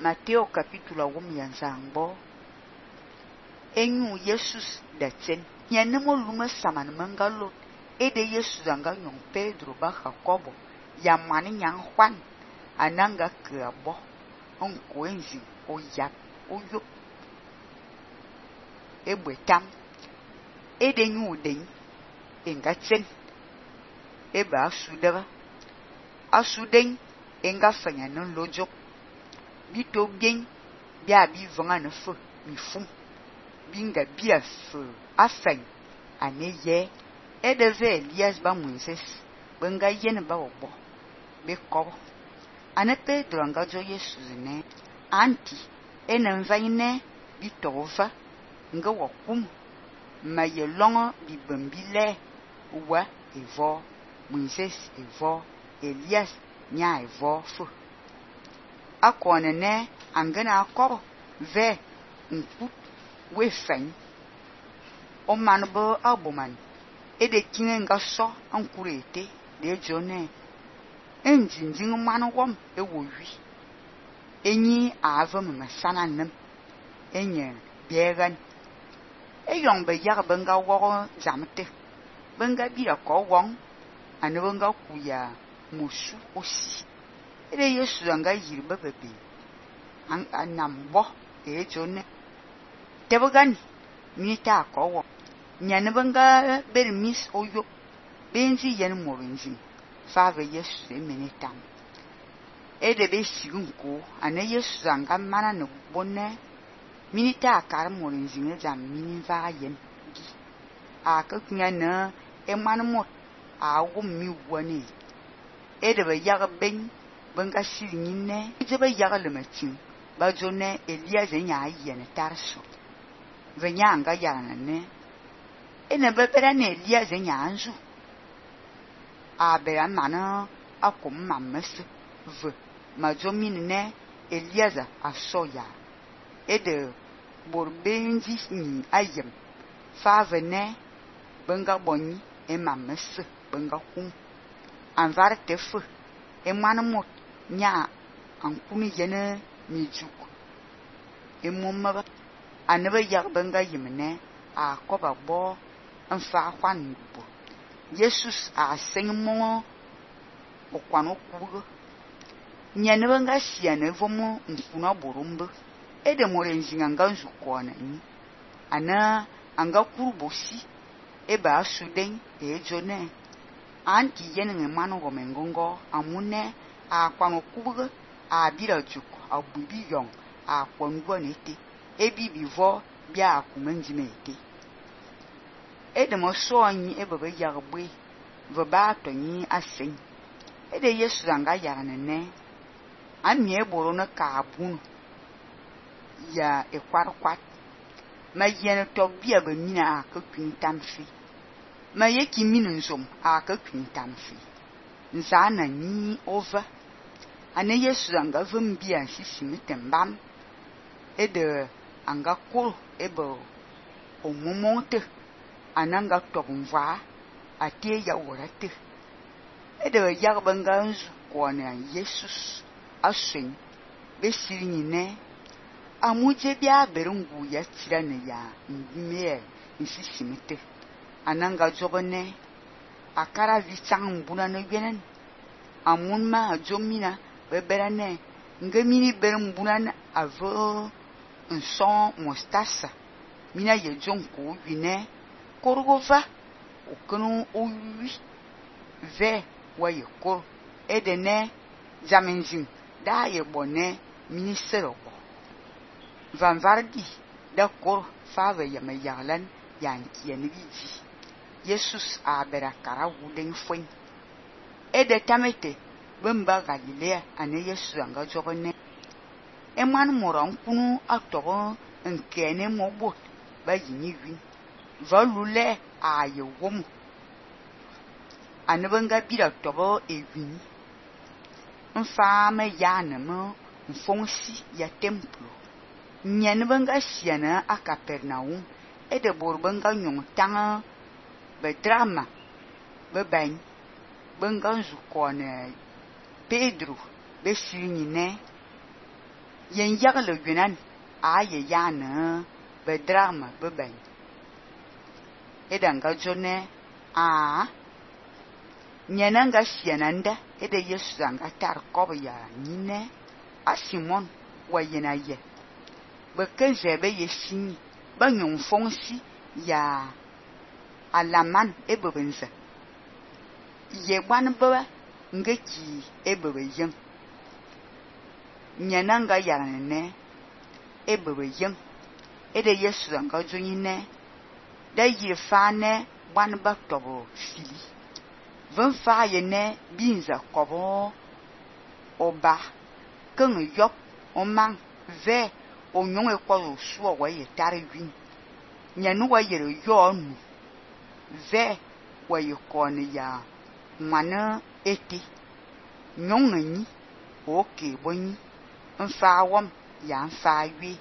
Mateo capítulo 1 yanzangbo. Enyu Jesus da tsen. Nyanemo lume saman mangalot. Ede Jesus anga nyong Pedro ba Jacobo. Ya mani nyang Juan. Ananga ke abo. Onko enzi o yap o yop. Ebwetam. Ede nyu den. Enga tsen. Eba asudaba. Asuden enga fanya non lojok. Bito bien bia bi vanga ne feu mi fum. Binga bia feu afeng ane ye. Edeve Elias ba Moses. Benga yen ba obo. Be kobo. Ane Pedro anga jo Jesus ne. Anti ene vaine bito ova. Nga wakum. Ma ye longo bi bambile. Uwa evo. Moses evo. Elias nya evo feu. Akone ne angana akoro ve nkut we fen o manbo aboman ede kinga nga so ankurete de jone enjinjin manu wom ewowi enyi avam masana nem enye biegan eyong be yag benga wo zamte benga bira ko won anebenga kuya musu osi ede Yesu anga yirba bebe anambo jone tebogan mita ko wo nyanebanga bermis oyo benzi yen morinzi fave Yesu emenitam ede be sigunko ane Yesu anga mana no bonne minita akar morinzi ne jam mininva yen gi akakunya na emanmot awu mi woni ede be yaga ben benga sirinine ijebe yaga lematin ba jone Elias enya yene tarso venya anga yana ne ene bebera ne Elias enya anzu abera mana akom mammes v majomine ne Elias asoya ede borbenzi ni ayem fave ne benga bonni e mammes benga kum anvar tefu e manmot nya ankuni yene mijuk emomma anaba yag benga yimne a koba bo anfa Juan bo Jesus a senmo o kwano kugo nyane benga siane vomo mfuna borumbu ede morenzinga nganzu kona ni ana anga kurubosi eba asuden jone anti yene manu gomengongo amune a kwano kubuga a bira juko a bubi yong a kwangwa nete ebi bivo bia akumenji mete ede mo so anyi ebebe yagbe vo ba tonyi asen ede Yesu anga yarane ne ami eboro na ka abun ya ekwarkwat ma yene to bia ba mina akakun tamfi ma yeki minin som akakun tamfi nzana ni over ane Yesu anga vumbia sisimitem ede anga kul ebo omumonte ananga tobumva atie ya worate ede yagbanga nzu kona Jesus asen besirini ne amuje bia berungu ya tirane ya mmie nsisimite ananga jobone akara vichang mbuna no yenen amunma jomina beberane ngemini bermbuna avo nson mostasa mina ye jonko wine korgova okunu owi ve waye kor edene jamenzin da ye bone ministero bo vanvardi da kor fave ya mayarlan yanki enbiji Jesus a berakara wuden fwen ede tamete bemba Galilea ane Yesu anga jogone eman moran kunu atobo nkene mobo ba yini wi valule aye wom anebanga bira tobo ewin mfama yanemo mfonsi ya templo nyanebanga siana a Capernaum ede borbanga nyong tanga bedrama beban benga zukone Pedro besinyine yen yagle yunan a ye yana bedrama beben edanga jone a nyenanga sienanda ede Yesu anga tar kob ya nyine a Simon wa yena ye bekenje be yesini ba nyong fongsi ya alaman ebebense ye gwan baba ngeki ebebe yen nyenanga yarane ebebe yen ede Yesu anga jonyine da yirfane gwan ba tobo sili vun fa yene binza kobo oba keng yop omang ve onyong ekwo suo wa ye tare win nyanu wa yere yo nu ve wa ye koni ya mwana eti nyong ni oke bonyi mfa wom ya mfa wi